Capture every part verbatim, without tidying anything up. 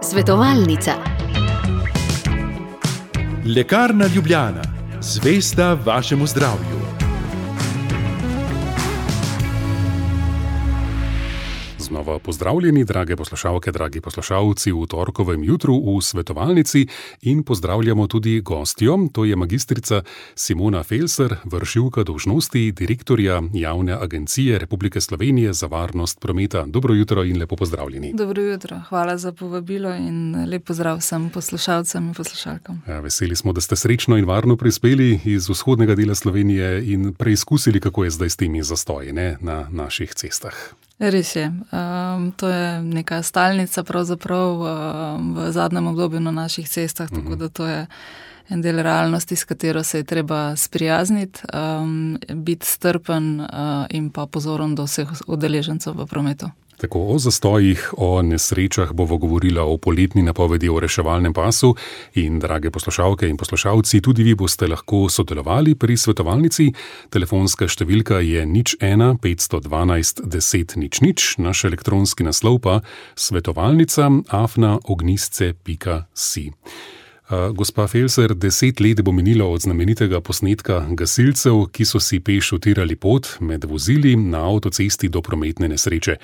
Svetovalnica. Lekarna Ljubljana, zvesta vašemu zdravju. Znova pozdravljeni, drage poslušalke, dragi poslušalci, v torkovem jutru v svetovalnici in pozdravljamo tudi gostjo, to je magistrica Simona Felser, vršilka dolžnosti direktorja Javne agencije Republike Slovenije za varnost prometa. Dobro jutro in lepo pozdravljeni. Dobro jutro, hvala za povabilo in lep pozdrav vsem poslušalcem in poslušalkam. Ja, veseli smo, da ste srečno in varno prispeli iz vzhodnega dela Slovenije in preizkusili, kako je zdaj s temi zastoji, ne, na naših cestah. Res je. Um, to je neka stalnica pravzaprav um, v zadnjem obdobju na naših cestah, tako mm-hmm. da to je en del realnosti, s katero se je treba sprijazniti, um, biti strpen uh, in pa pozoren do vseh udeležencev v prometu. Tako o zastojih, o nesrečah bova govorila o poletni napovedi o reševalnem pasu in, drage poslušalke in poslušalci, tudi vi boste lahko sodelovali pri svetovalnici. Telefonska številka je nič ena petsto dvanajst deset nič nič, naš elektronski naslov pa svetovalnica afna ognjisce pika si. Gospa Felser, deset let bo minilo od znamenitega posnetka gasilcev, ki so si peš utirali pot med vozili na avtocesti do prometne nesreče.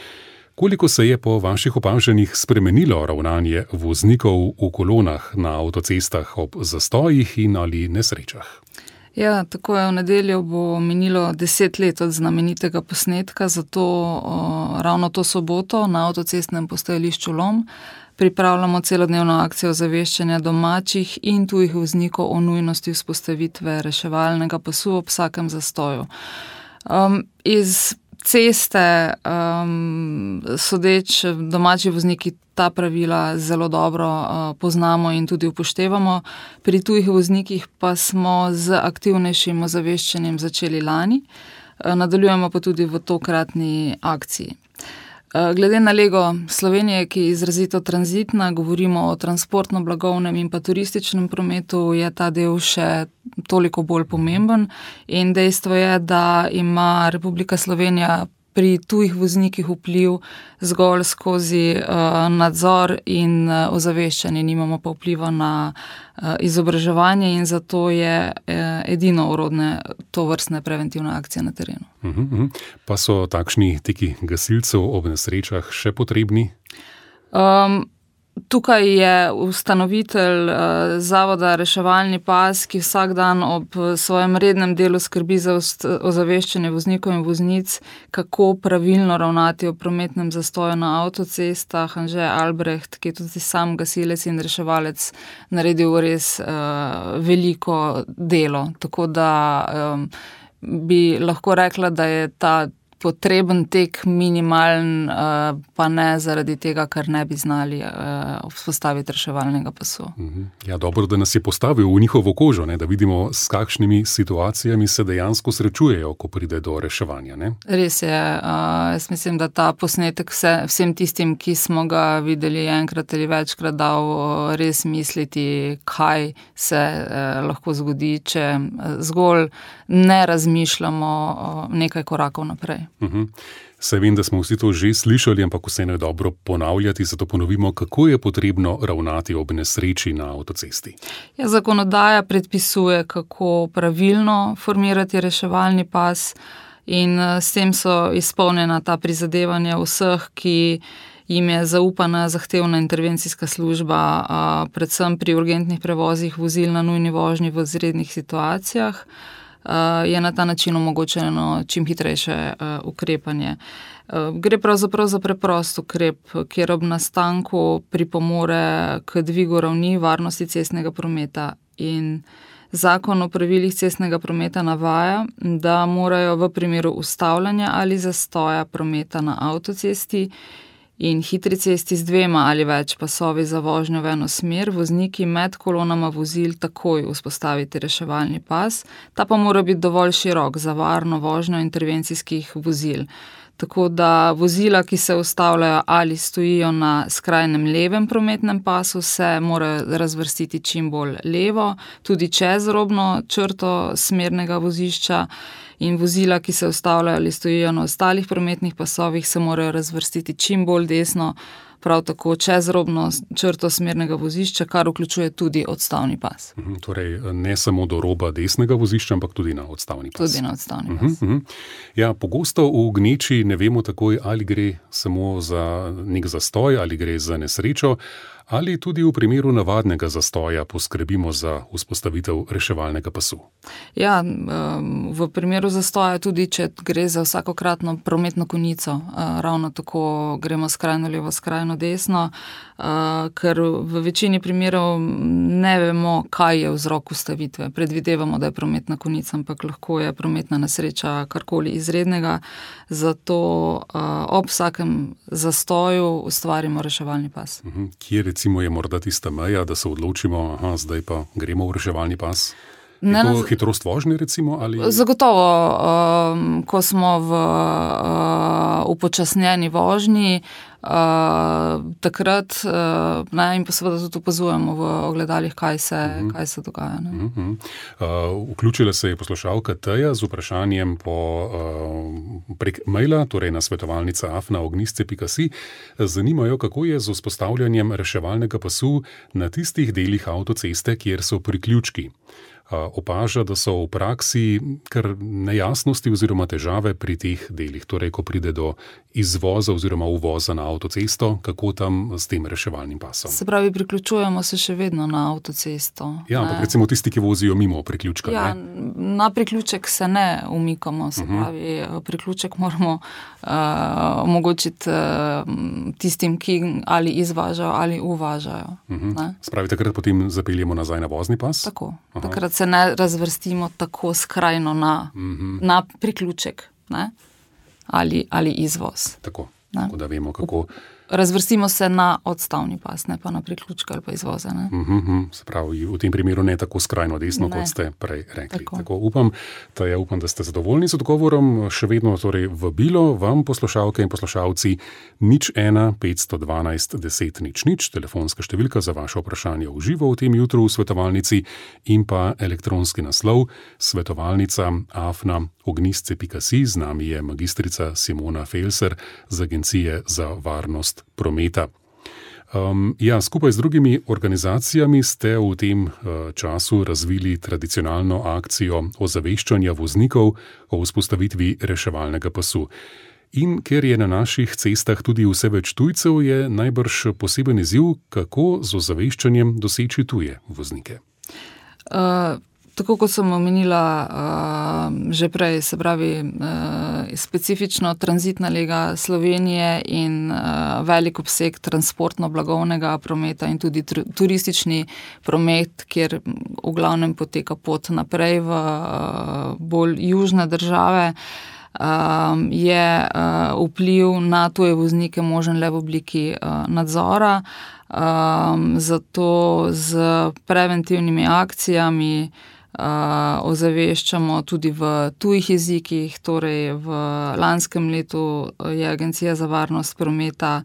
Koliko se je po vaših opažanjih spremenilo ravnanje voznikov v kolonah na avtocestah ob zastojih in ali nesrečah? Ja, tako je, v nedeljo bo minilo deset let od znamenitega posnetka, zato o, ravno to soboto na avtocestnem postajališču Lom pripravljamo celodnevno akcijo zaveščanja domačih in tujih voznikov o nujnosti vzpostavitve reševalnega pasu ob vsakem zastoju. Um, iz ceste, um, sodeč domači vozniki ta pravila zelo dobro uh, poznamo in tudi upoštevamo. Pri tujih voznikih pa smo z aktivnejšim ozaveščanjem začeli lani, uh, nadaljujemo pa tudi v tokratni akciji. Glede na lego Slovenije, ki je izrazito tranzitna, govorimo o transportno-blagovnem in pa turističnem prometu, je ta del še toliko bolj pomemben in dejstvo je, da ima Republika Slovenija pri tujih voznikih vpliv zgolj skozi uh, nadzor in uh, ozaveščanje, nimamo pa vpliva na uh, izobraževanje in zato je uh, edino orodne to vrstne preventivne akcije na terenu. Uh-huh, uh-huh. Pa so takšni teki gasilcev ob nesrečah še potrebni? Um, Tukaj je ustanovitelj uh, Zavoda Reševalni pas, ki vsak dan ob svojem rednem delu skrbi za ozaveščanje voznikov in voznic, kako pravilno ravnati v prometnem zastoju na avtocestah. Anže Albrecht, ki je tudi sam gasilec in reševalec, naredil res uh, veliko delo. Tako da um, bi lahko rekla, da je ta potreben tek minimalen, pa ne zaradi tega, ker ne bi znali vzpostaviti reševalnega pasu. Ja, dobro, da nas je postavil v njihovo kožo, ne, da vidimo, s kakšnimi situacijami se dejansko srečujejo, ko pride do reševanja. Ne? Res je. Jaz mislim, da ta posnetek vse, vsem tistim, ki smo ga videli enkrat ali večkrat, dal res misliti, kaj se lahko zgodi, če zgolj ne razmišljamo nekaj korakov naprej. Uhum. Saj vem, da smo vsi to že slišali, ampak vseeno je dobro ponavljati, zato ponovimo, kako je potrebno ravnati ob nesreči na avtocesti. Ja, zakonodaja predpisuje, kako pravilno formirati reševalni pas in s tem so izpolnjena ta prizadevanja vseh, ki jim je zaupana zahtevna intervencijska služba, predvsem pri urgentnih prevozih vozil na nujni vožnji v izrednih situacijah. Je na ta način omogočeno čim hitrejše uh, ukrepanje. Uh, gre pravzaprav za preprost ukrep, kjer ob nastanku pripomore k dvigu ravni varnosti cestnega prometa in Zakon o pravilih cestnega prometa navaja, da morajo v primeru ustavljanja ali zastoja prometa na avtocesti in hitri cesti z dvema ali več pasovi za vožnjo v eno smer vozniki med kolonama vozil takoj vzpostaviti reševalni pas, ta pa mora biti dovolj širok za varno vožnjo intervencijskih vozil. Tako da vozila, ki se ustavljajo ali stojijo na skrajnem levem prometnem pasu, se morajo razvrstiti čim bolj levo, tudi čez robno črto smernega vozišča, in vozila, ki se ustavljajo ali stojijo na ostalih prometnih pasovih, se morajo razvrstiti čim bolj desno prav tako čez robno črto smernega vozišča, kar vključuje tudi odstavni pas. Uh-huh, torej, ne samo do roba desnega vozišča, ampak tudi na odstavni pas. Tudi na odstavni pas. Uh-huh, uh-huh. Ja, pogosto v gneči ne vemo takoj, ali gre samo za nek zastoj, ali gre za nesrečo, ali tudi v primeru navadnega zastoja poskrbimo za vzpostavitev reševalnega pasu. Ja, v primeru zastoja tudi, če gre za vsakokratno prometno konico, ravno tako gremo skrajno levo, skrajno desno, ker v večini primerov ne vemo, kaj je vzrok ustavitve. Predvidevamo, da je prometna konica, ampak lahko je prometna nesreča karkoli izrednega, zato ob vsakem zastoju ustvarimo reševalni pas. Uh-huh. Kje recimo je morda tista meja, da se odločimo, aha, zdaj pa gremo v reševalni pas? Je ne, to hitrost vožnje recimo? Ali... Zagotovo, um, ko smo v uh, upočasnjeni vožnji, uh, takrat uh, ne, in pa seveda tudi opazujemo v ogledalih, kaj se, uh-huh. kaj se dogaja. Ne. Uh-huh. Uh, vključila se je poslušalka Teja z vprašanjem po, uh, prek maila, torej na svetovalnica afna ognistce pika si. Zanimajo, kako je z vzpostavljanjem reševalnega pasu na tistih delih avtoceste, kjer so priključki. Opaža, da so v praksi kar nejasnosti oziroma težave pri teh delih, torej ko pride do izvoza oziroma uvoza na avtocesto, kako tam s tem reševalnim pasom. Se pravi, priključujemo se še vedno na avtocesto. Ja, ampak recimo tisti, ki vozijo mimo priključka. Ja, ne? Na priključek se ne umikamo, se uh-huh. pravi, priključek moramo uh, omogočiti uh, tistim, ki ali izvažajo ali uvažajo. Uh-huh. Spravi, takrat potem zapeljemo nazaj na vozni pas? Tako, Aha. takrat se ne razvrstimo tako skrajno na, uh-huh. na priključek, ne? Ali, ali izvoz. Tako, tako da vemo, kako... Razvrstimo se na odstavni pas, ne pa na priključke ali pa izvoze. Ne? Uh-huh, se pravi, v tem primeru ne tako skrajno desno, ne. Kot ste prej rekli. Tako. Tako upam, da, ja, upam, da ste zadovoljni z odgovorom. Še vedno torej vabilo vam, poslušalke in poslušalci, nič ena petsto dvanajst deset nič nič, telefonska številka za vaše vprašanje v živo v tem jutru v svetovalnici in pa elektronski naslov svetovalnica afna ognistce pika si. Z nami je magistrica Simona Felser z Agencije za varnost prometa. Um, ja, skupaj z drugimi organizacijami ste v tem uh, času razvili tradicionalno akcijo ozaveščanja voznikov o vzpostavitvi reševalnega pasu. In ker je na naših cestah tudi vse več tujcev, je najbrž poseben izziv, kako z ozaveščanjem doseči tuje voznike. Uh... Tako kot sem omenila uh, že prej, se pravi uh, specifično tranzitna lega Slovenije in uh, velik obseg transportno-blagovnega prometa in tudi tr- turistični promet, kjer v glavnem poteka pot naprej v uh, bolj južne države, uh, je uh, vpliv na tuje voznike možen le v obliki uh, nadzora. Uh, zato z preventivnimi akcijami Uh, ozaveščamo tudi v tujih jezikih, torej v lanskem letu je Agencija za varnost prometa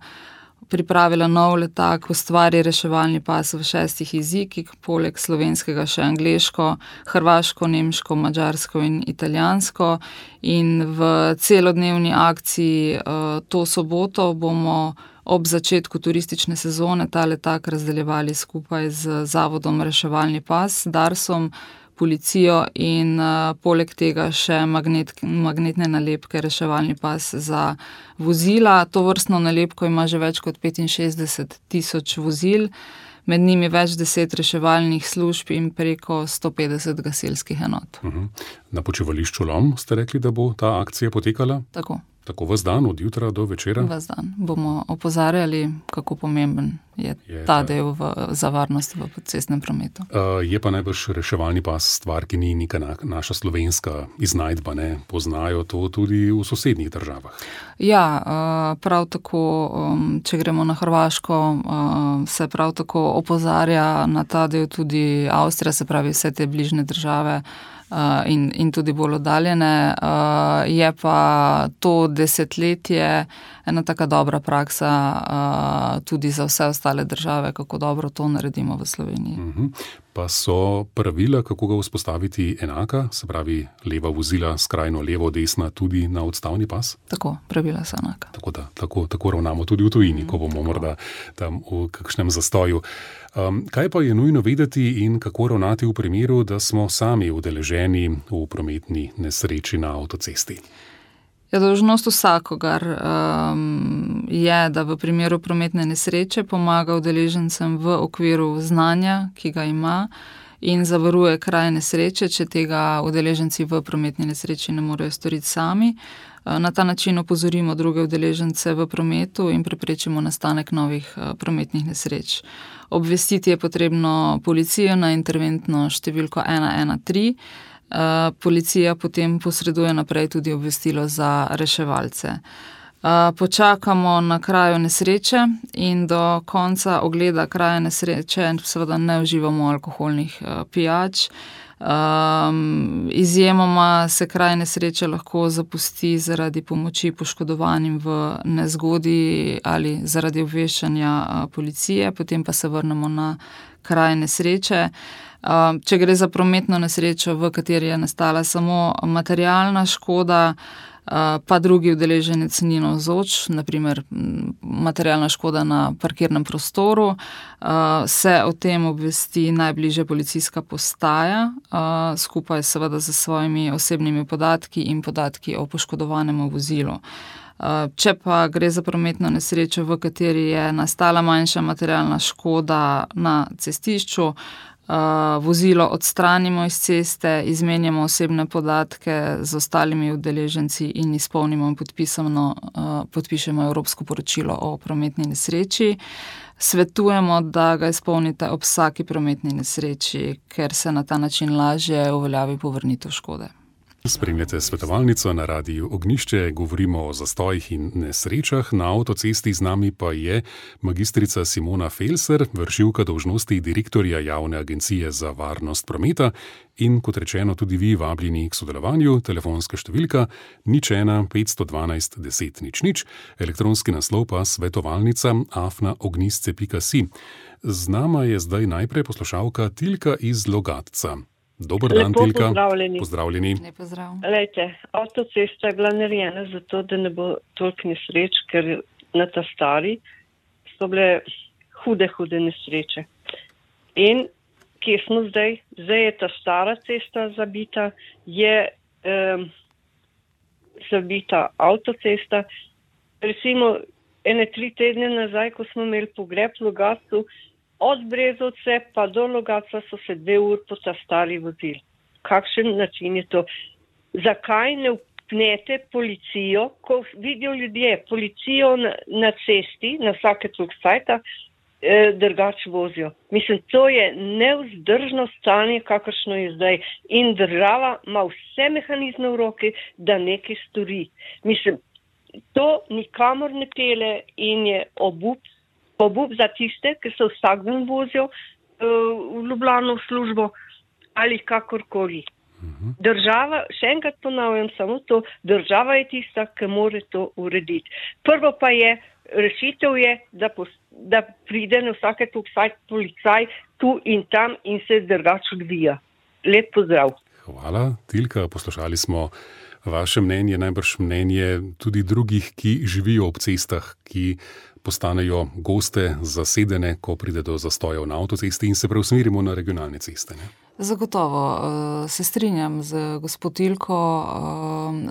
pripravila nov letak, ustvari reševalni pas v šestih jezikih, poleg slovenskega še angleško, hrvaško, nemško, madžarsko in italijansko. In v celodnevni akciji uh, to soboto bomo ob začetku turistične sezone ta letak razdeljevali skupaj z Zavodom Reševalni pas, Darsom, policijo in uh, poleg tega še magnet, magnetne nalepke reševalni pas za vozila. To vrstno nalepko ima že več kot petinšestdeset tisoč vozil, med njimi več deset reševalnih služb in preko sto petdeset gasilskih enot. Uh-huh. Na počivališču Lom ste rekli, da bo ta akcija potekala? Tako. Tako ves dan, od jutra do večera? Ves dan. Bomo opozarjali, kako pomemben je, je ta del v, za varnost v cestnem prometu. Uh, je pa najbrž reševalni pas stvar, ki ni neka na, naša slovenska iznajdba, ne? Poznajo to tudi v sosednjih državah. Ja, uh, prav tako, um, če gremo na Hrvaško, uh, se prav tako opozarja na ta del tudi Avstrija, se pravi vse te bližnje države, Uh, in, in tudi bolj oddaljene. Uh, je pa to desetletje ena taka dobra praksa uh, tudi za vse ostale države, kako dobro to naredimo v Sloveniji. Uh-huh. Pa so pravila, kako ga vzpostaviti, enaka, se pravi leva vozila, skrajno levo, desna, tudi na odstavni pas? Tako, pravila so enaka. Tako da, tako, tako ravnamo tudi v tujini, mm, ko bomo tako. morda tam v kakšnem zastoju. Um, kaj pa je nujno vedeti in kako ravnati v primeru, da smo sami udeleženi v prometni nesreči na avtocesti? Ja, dolžnost vsakogar um, je, da v primeru prometne nesreče pomaga udeležencem v okviru znanja, ki ga ima, in zavaruje kraj nesreče, če tega udeleženci v prometni nesreči ne morejo storiti sami. Na ta način opozorimo druge udeležence v prometu in preprečimo nastanek novih prometnih nesreč. Obvestiti je potrebno policijo na interventno številko ena ena tri. Policija potem posreduje naprej tudi obvestilo za reševalce. Počakamo na kraju nesreče in do konca ogleda kraja nesreče seveda ne uživamo alkoholnih pijač. Um, izjemoma se kraj nesreče lahko zapusti zaradi pomoči poškodovanim v nezgodi ali zaradi obveščanja policije, potem pa se vrnemo na kraj nesreče. Um, če gre za prometno nesrečo, v kateri je nastala samo materialna škoda, pa drugi udeleženec ni navzoč, naprimer materialna škoda na parkirnem prostoru, se o tem obvesti najbližja policijska postaja, skupaj seveda z svojimi osebnimi podatki in podatki o poškodovanem vozilu. Če pa gre za prometno nesrečo, v kateri je nastala manjša materialna škoda na cestišču, vozilo odstranimo iz ceste, izmenjamo osebne podatke z ostalimi udeleženci in izpolnimo in podpišemo Evropsko poročilo o prometni nesreči. Svetujemo, da ga izpolnite ob vsaki prometni nesreči, ker se na ta način lažje uveljavi povrnitev škode. Spremljate svetovalnico na Radiu Ognjišče, govorimo o zastojih in nesrečah. Na avtocesti z nami pa je magistrica Simona Felser, vršilka dolžnosti direktorja Javne agencije za varnost prometa in, kot rečeno, tudi vi vabljeni k sodelovanju. Telefonska številka nič ena petsto dvanajst deset nič nič, elektronski naslov pa svetovalnica afna ognjisce pika si. Z nama je zdaj najprej poslušalka Tilka iz Logatca. Dober dan, Lepo Tilka. Pozdravljeni. Pozdravljeni. Lep pozdrav. Lejte, avtocesta je bila narejena zato, da ne bo toliko nesreč, ker na ta stari so bile hude, hude nesreče. In kje smo zdaj? Zdaj je ta stara cesta zabita, je um, zabita avtocesta. Recimo, ene tri tedne nazaj, ko smo imeli pogreb v Logatcu, od Brezovce pa do Logatca so se dve uri po ta stari vozili. Kakšen način je to? Zakaj ne vpnete policijo, ko vidijo ljudje policijo na, na cesti, na vsake toliko cajta, eh, drugače vozijo? Mislim, to je nevzdržno stanje, kakršno je zdaj. In država ima vse mehanizme v roki, da nekaj stori. Mislim, to nikamor ne pele in je obup. Obup za tiste, ki se vsak dan vozijo uh, v Ljubljano v službo ali kakorkoli. Uh-huh. Država, še enkrat ponavljam samo to, država je tista, ki more to urediti. Prvo pa je, rešitev je, da, pos, da pride na vsake toliko policaj tu in tam in se drugače odvija. Lep pozdrav. Hvala, Tilka. Poslušali smo vaše mnenje, najbrž mnenje tudi drugih, ki živijo ob cestah, ki postanejo goste, zasedene, ko pride do zastojev na avtocesti in se preusmerimo na regionalne ceste. Ne? Zagotovo se strinjam z gospod Tilko.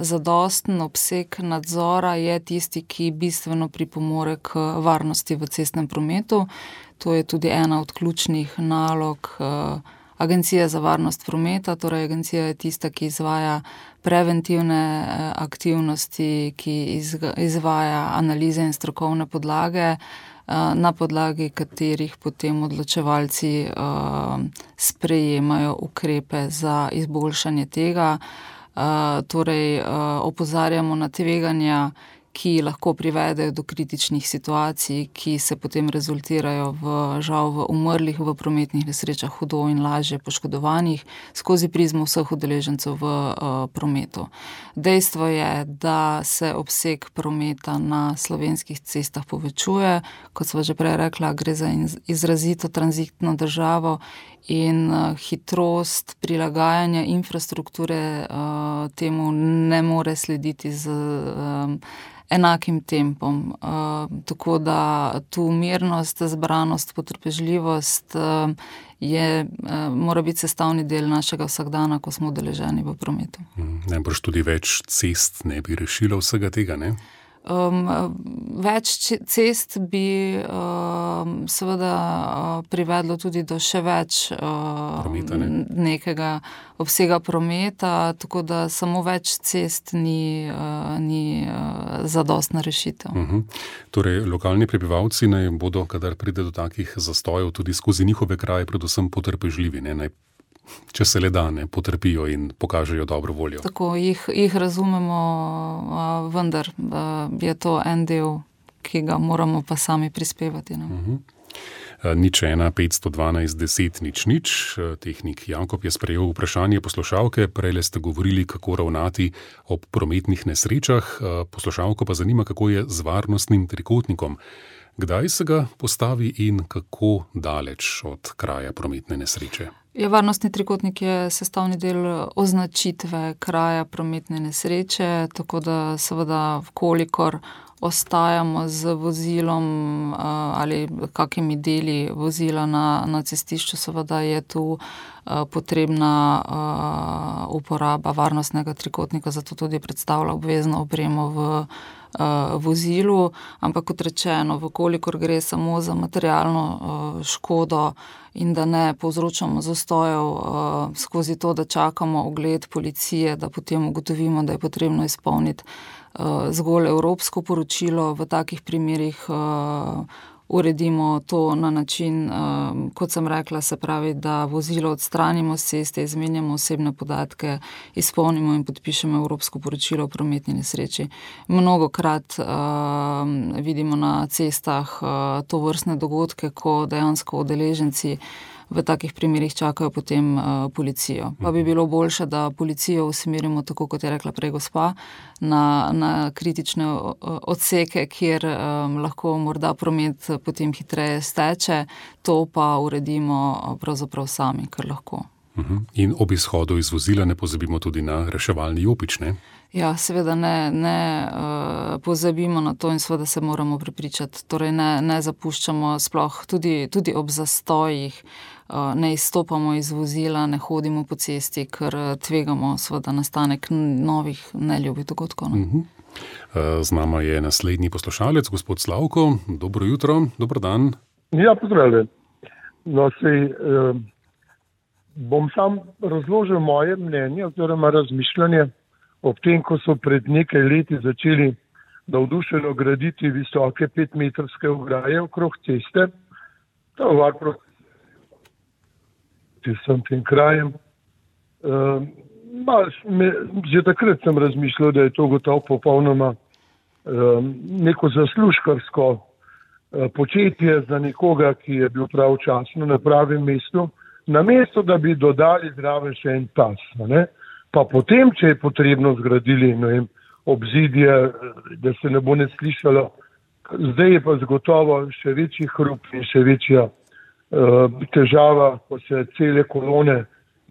Zadosten obseg nadzora je tisti, ki bistveno pripomore k varnosti v cestnem prometu. To je tudi ena od ključnih nalog Agencije za varnost prometa, torej agencija je tista, ki izvaja preventivne aktivnosti, ki izvaja analize in strokovne podlage, na podlagi katerih potem odločevalci sprejemajo ukrepe za izboljšanje tega. Torej opozarjamo na tveganja, ki lahko privedejo do kritičnih situacij, ki se potem rezultirajo v, žal v umrlih v prometnih nesrečah, hudo in lažje poškodovanih, skozi prizmo vseh udeležencev v uh, prometu. Dejstvo je, da se obseg prometa na slovenskih cestah povečuje, kot sva že prej rekla, gre za izrazito tranzitno državo in uh, hitrost prilagajanja infrastrukture uh, temu ne more slediti z um, enakim tempom. Uh, tako da tu mirnost, zbranost, potrpežljivost uh, je, uh, mora biti sestavni del našega vsakdana, ko smo udeleženi v prometu. Najbrž tudi več cest ne bi rešilo vsega tega, ne? Um, več cest bi um, seveda uh, privedlo tudi do še več uh, prometa, ne? nekega obsega prometa, tako da samo več cest ni, uh, ni uh, zadostna rešitev. Uh-huh. Torej, lokalni prebivalci naj bodo, kadar pride do takih zastojev, tudi skozi njihove kraje predvsem potrpežljivi, ne? Naj če se le da, ne, potrpijo in pokažejo dobro voljo. Tako, jih, jih razumemo, vendar je to en del, ki ga moramo pa sami prispevati. Ne? Uh-huh. Nič ena, petsto dvanajst, deset, nič, nič. Tehnik Jakob je sprejel vprašanje poslušalke, prejle ste govorili, kako ravnati ob prometnih nesrečah. Poslušalko pa zanima, kako je z varnostnim trikotnikom. Kdaj se ga postavi in kako daleč od kraja prometne nesreče? Ja, varnostni trikotnik je sestavni del označitve kraja prometne nesreče, tako da seveda, vkolikor ostajamo z vozilom ali kakimi deli vozila na, na cestišču, seveda je tu potrebna uporaba varnostnega trikotnika, zato tudi predstavlja obvezno opremo v vozilu, ampak kot rečeno, vkolikor gre samo za materialno škodo in da ne povzročamo zastojev skozi to, da čakamo ogled policije, da potem ugotovimo, da je potrebno izpolniti zgolj evropsko poročilo, v takih primerih uredimo to na način, kot sem rekla, se pravi, da vozilo odstranimo z ceste, izmenjamo osebne podatke, izpolnimo in podpišemo evropsko poročilo o prometni nesreči. Mnogokrat uh, vidimo na cestah uh, to vrstne dogodke, ko dejansko udeleženci v takih primerih čakajo potem uh, policijo. Pa bi bilo boljše, da policijo usmerimo, tako kot je rekla prej gospa, na, na kritične odseke, kjer um, lahko morda promet potem hitreje steče, to pa uredimo pravzaprav sami, kar lahko. Uh-huh. In ob izhodu iz vozila ne pozabimo tudi na reševalni jopič, ne? Ja, seveda ne, ne uh, pozabimo na to in seveda se moramo prepričati. Torej ne, ne zapuščamo sploh tudi, tudi ob zastojih, uh, ne izstopamo iz vozila, ne hodimo po cesti, ker tvegamo seveda nastanek novih neljubih dogodkov. No? Uh-huh. uh, z nama je naslednji poslušalec, gospod Slavko. Dobro jutro, dober dan. Ja, pozdravljen. No, sej, uh, bom sam razložil moje mnenje oziroma razmišljanje ob tem, ko so pred nekaj leti začeli navdušeno graditi visoke petmetrske ograje okrog ceste. To je var proti vsem tem krajem. Uh, me, že takrat sem razmišljal, da je to gotovo popolnoma uh, neko zaslužkarsko uh, početje za nekoga, ki je bil pravočasno na pravem mestu, namesto da bi dodali zraven še en pas, ne? Pa potem, če je potrebno zgradili, ne vem, obzidje, da se ne bo ne slišalo. Zdaj je pa zagotovo še večji hrup in še večja uh, težava, ko se cele kolone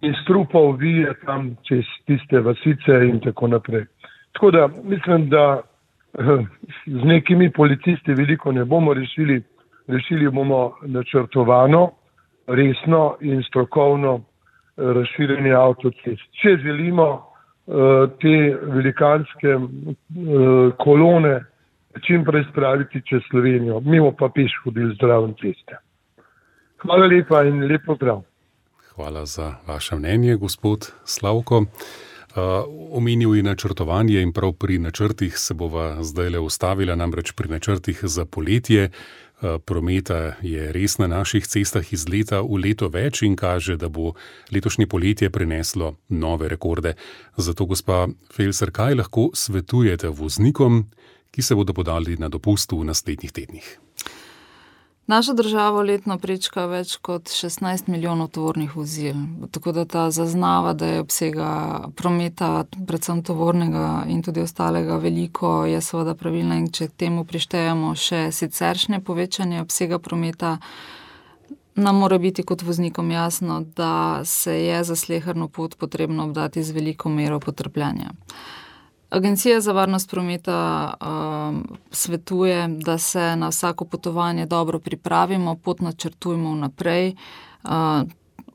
in strupov vije tam čez tiste vasice in tako naprej. Tako da mislim, da uh, z nekimi policisti veliko ne bomo rešili. Rešili bomo načrtovano, resno in strokovno razširjenje avtocest. Če želimo uh, te velikanske uh, kolone čim prej spraviti čez Slovenijo, mimo pa peš hodili zdraven ceste. Hvala lepa in lep pozdrav. Hvala za vaše mnenje, gospod Slavko. Uh, omenil je načrtovanje in prav pri načrtih se bova zdajle ustavila, namreč pri načrtih za poletje. Prometa je res na naših cestah iz leta v leto več in kaže, da bo letošnje poletje prineslo nove rekorde. Zato, gospa Felser, kaj lahko svetujete voznikom, ki se bodo podali na dopust v naslednjih tednih. Naša država letno prečka več kot šestnajst milijonov tovornih vozil, tako da ta zaznava, da je obsega prometa, predvsem tovornega in tudi ostalega veliko, je seveda pravilna, in če temu prištejemo še siceršnje povečanje obsega prometa, nam mora biti kot voznikom jasno, da se je za sleherno pot potrebno obdati z veliko mero potrpljenja. Agencija za varnost prometa um, svetuje, da se na vsako potovanje dobro pripravimo, pot načrtujmo vnaprej, uh,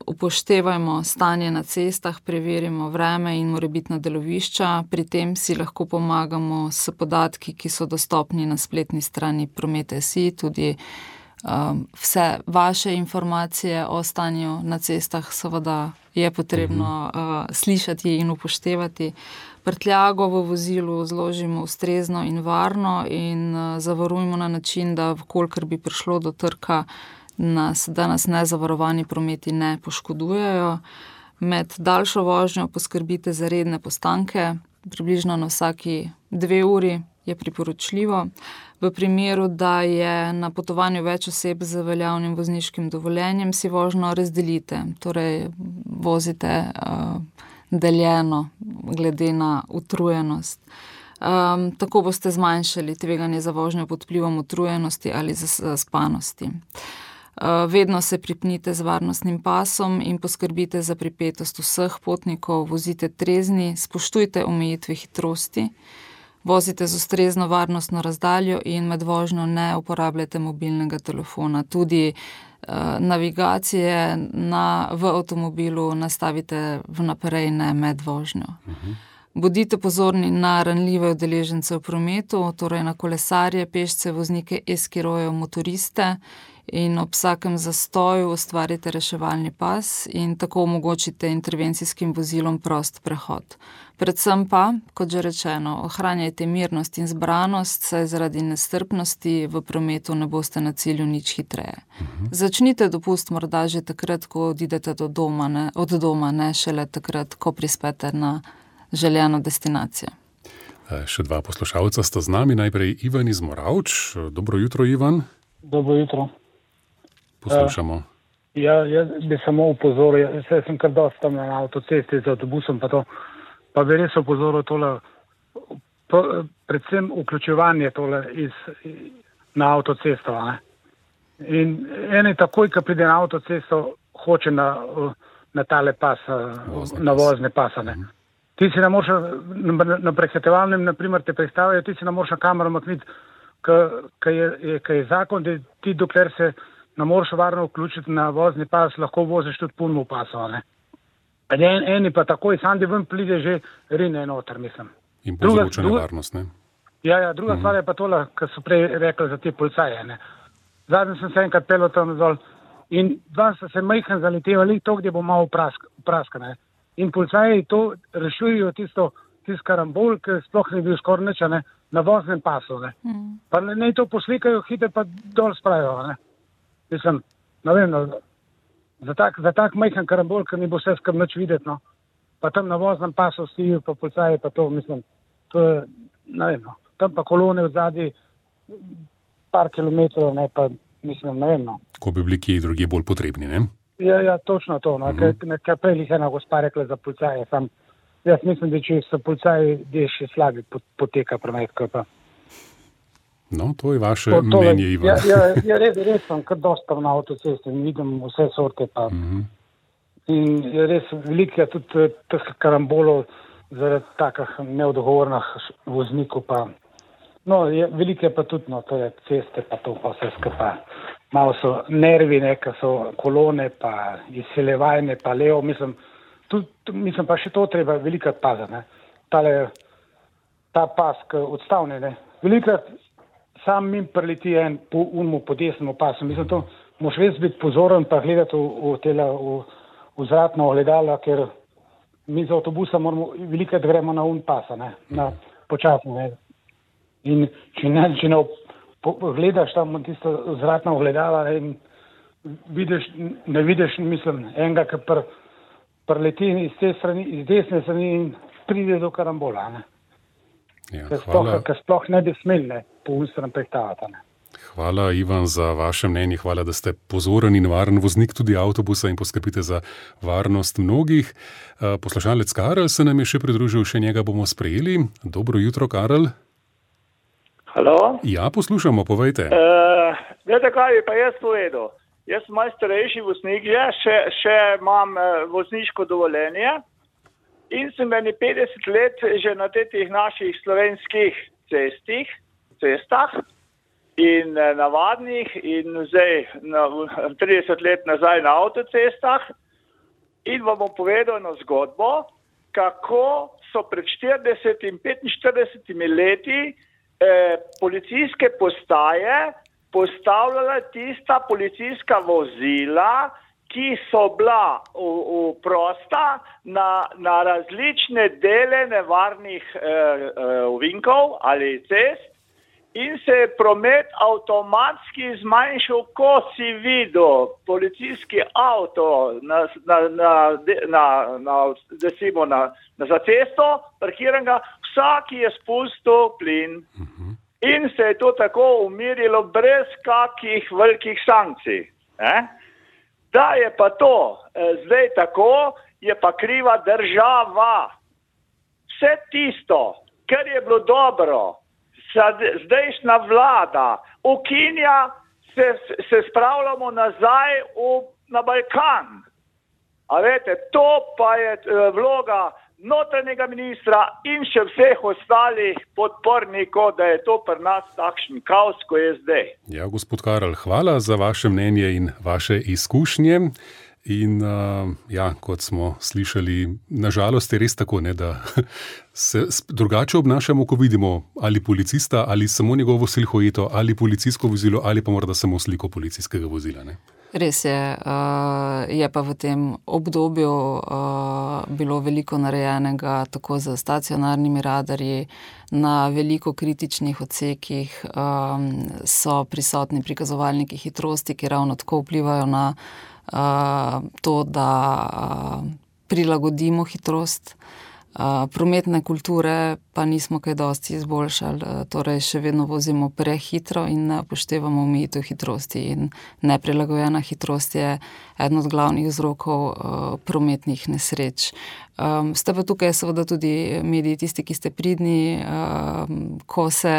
upoštevajmo stanje na cestah, preverimo vreme in morebitna delovišča, pri tem si lahko pomagamo s podatki, ki so dostopni na spletni strani Promet pika si, tudi um, vse vaše informacije o stanju na cestah seveda je potrebno uh, slišati in upoštevati. Prtljago v vozilu zložimo ustrezno in varno in uh, zavarujmo na način, da vkolikor bi prišlo do trka, nas, da nas nezavarovani prometi ne poškodujejo. Med daljšo vožnjo poskrbite za redne postanke, približno na vsaki dve uri je priporočljivo. V primeru, da je na potovanju več oseb z veljavnim vozniškim dovoljenjem, si vožnjo razdelite, torej vozite uh, deljeno glede na utrujenost. Um, tako boste zmanjšali tveganje za vožnjo pod vplivom utrujenosti ali zaspanosti. Uh, vedno se pripnite z varnostnim pasom in poskrbite za pripetost vseh potnikov, vozite trezni, spoštujte omejitve hitrosti, vozite z ustrezno varnostno razdaljo in med vožnjo ne uporabljate mobilnega telefona. Tudi uh, navigacije na, v avtomobilu nastavite vnaprej, ne med vožnjo. Uh-huh. Bodite pozorni na ranljive udeležence v prometu, torej na kolesarje, pešce, voznike eskirojev, motoriste, in ob vsakem zastoju ustvarite reševalni pas in tako omogočite intervencijskim vozilom prost prehod. Predvsem pa, kot že rečeno, ohranjajte mirnost in zbranost, saj zaradi nestrpnosti v prometu ne boste na cilju nič hitreje. Uh-huh. Začnite dopust morda že takrat, ko odidete do doma, ne, od doma, ne šele takrat, ko prispete na željeno destinacijo. E, še dva poslušalca sta z nami. Najprej Ivan iz Moravč. Dobro jutro, Ivan. Dobro jutro. Poslušamo. Uh, ja, jaz bi samo upozoril, jaz sem kar dosta na avtocesti z avtobusom, pa, to, pa bi res upozoril tole, po, predvsem vključevanje tole iz, na avtocesto. Ne? In eni takoj, ko pride na avtocesto, hoče na, na tale pas, vozne na vozne pasa. Ne? Mm. Ti si ne moreš, na, na prehitevalnem, naprimer, te predstavljajo, ti si ne moreš na kamero makniti, ker je, je, je zakon, da ti dokler se ne moreš varno vključiti na vozni pas, lahko voziš tudi punmu pasov. En, eni pa takoj, sam da ven pride že rine noter, mislim. In povzroča nevarnost, ne? Ja, ja, druga uh-huh. stvar je pa tola, kar so prej rekli za te policaje. Ne? Zadnji sem se enkrat pelil tam dol in dva sta se majhen zaletevali, to, gdje bo malo prask, praska. Ne? In policaji to rešujejo tisto, tisto karambol, ki sploh ne bil skoraj nič, ne? Na voznem pasu. Ne? Uh-huh. Pa ne, ne to poslikajo, hite pa dol spravijo, ne? Mislim, ne vem, no, za tak, za tak majhen karambol, ker ni bo vse skrbno videti, no. Pa tam na voznem pasu stijo, pa policaji, pa to, mislim, to je, ne vem, no. Tam pa kolone v zadnji par kilometrov, ne, pa, mislim, ne vem, no. Ko bi bili kje drugi bolj potrebni, ne? Ja, ja, točno to, no, uh-huh. Kaj prej jih ena gospa rekla za policaje, sam, jaz mislim, da če so policaji, da je še slabi poteka promet, kaj pa. No, to je vaše to, to mnenje, Ivan. Ja, ja, ja res, res sem kar dosta na avtocesti in vidim vse sorte pa. Uh-huh. In je res veliko je tudi teh karambolov zaradi takih neodgovornih voznikov pa. No, je, veliko je pa tudi, no, to je ceste pa to pa vse skupaj. Malo so nervi, neka so kolone pa izseljevajne pa levo, mislim, tudi, mislim pa še to treba veliko paziti, ne. Tale, ta pask odstavne, ne. Veliko sam min preleti en po unmu, po desnemu pasu. Mislim, to moš res biti pozoren pa gledati v, v, tela, v, v zratna ogledala, ker mi z avtobusa moramo velikrat gremo na un pasa, ne, na počasno, ne. In če ne, če ne po, gledaš tam tisto zratna ogledala in vidiš, ne vidiš, mislim, enega, ki pr, prleti iz te strani, iz desne strani in pride do karambola, ne. Ja, ker sploh, sploh ne bi smeli po unstran prehtavati. Hvala, Ivan, za vaše mnenje. Hvala, da ste pozoren in varen voznik tudi avtobusa in poskrbite za varnost mnogih. Poslušalec Karel se nam je še pridružil, še njega bomo sprejeli. Dobro jutro, Karel. Halo? Ja, poslušamo, povejte. Uh, Vete, kaj bi pa jaz povedal? Jaz sem malo starejši voznik, še, še imam vozniško dovoljenje in sem meni petdeset let že na teh naših slovenskih cestih, cestah in navadnih in zdaj na, trideset let nazaj na avtocestah in vam bom povedal eno zgodbo, kako so pred štirideset in petinštiridesetimi leti eh, policijske postaje postavljala tista policijska vozila, ki so bila v, v prosta na, na različne dele nevarnih eh, ovinkov ali cest in se je promet avtomatski zmanjšal, ko si videl policijski avto na, na, na, na, na, desimo, na, na za cesto, parkiranega, vsak je spustil plin. Uh-huh. In se je to tako umirilo brez kakih velikih sankcij. Eh? Da je pa to eh, zdaj tako, je pa kriva država. Vse tisto, kar je bilo dobro, zdajšnja vlada ukinja, se, se spravljamo nazaj v, na Balkan. A vete, to pa je eh, vloga notranjega ministra in še vseh ostalih podpornikov, da je to pri nas takšen kaos, ko je zdaj. Ja, gospod Karel, hvala za vaše mnenje in vaše izkušnje. In uh, ja, kot smo slišali, nažalost je res tako, ne, da se drugače obnašamo, ko vidimo ali policista, ali samo njegovo silhueto, ali policijsko vozilo, ali pa morda samo sliko policijskega vozila. Ne. Res je, je pa v tem obdobju bilo veliko narejenega tako za stacionarnimi radarji, na veliko kritičnih odsekih so prisotni prikazovalniki hitrosti, ki ravno tako vplivajo na to, da prilagodimo hitrost. Prometne kulture pa nismo kaj dosti izboljšali, torej še vedno vozimo prehitro in ne upoštevamo omejitev hitrosti in neprilagojena hitrost je eden od glavnih vzrokov prometnih nesreč. Ste pa tukaj seveda tudi mediji, tisti, ki ste pridni, ko se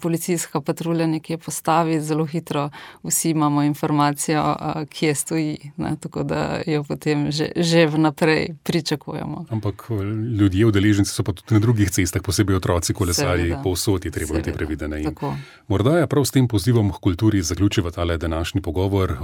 policijska patrulja nekje postavi, zelo hitro vsi imamo informacijo, kje stoji, ne, tako da jo potem že, že vnaprej pričakujemo. Ampak ljudje, udeleženci so pa tudi na drugih cestah, posebej otroci, kolesarji, povsod je treba biti previdene. Morda je prav s tem pozivom k kulturi zaključiva tale današnji pogovor.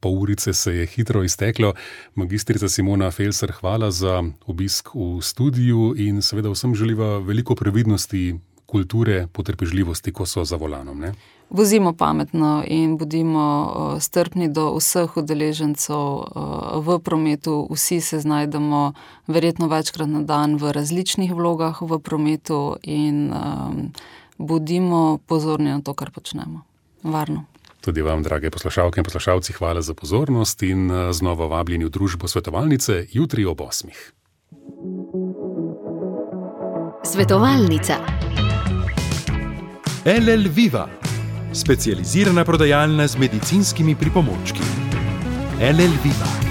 Pol urice se je hitro izteklo. Magistrica Simona Felser, hvala za obisk v studiu in seveda vsem želiva veliko previdnosti, kulture, potrpežljivosti, ko so za volanom. Ne? Vozimo pametno in bodimo strpni do vseh udeležencev v prometu. Vsi se znajdemo verjetno večkrat na dan v različnih vlogah v prometu in um, bodimo pozorni na to, kar počnemo. Varno. Tudi vam, drage poslušalke in poslušalci, hvala za pozornost in znova vabljeni v družbo svetovalnice jutri ob osmih. Svetovalnica. L L Viva, specializirana prodajalna z medicinskimi pripomočki. L L Viva.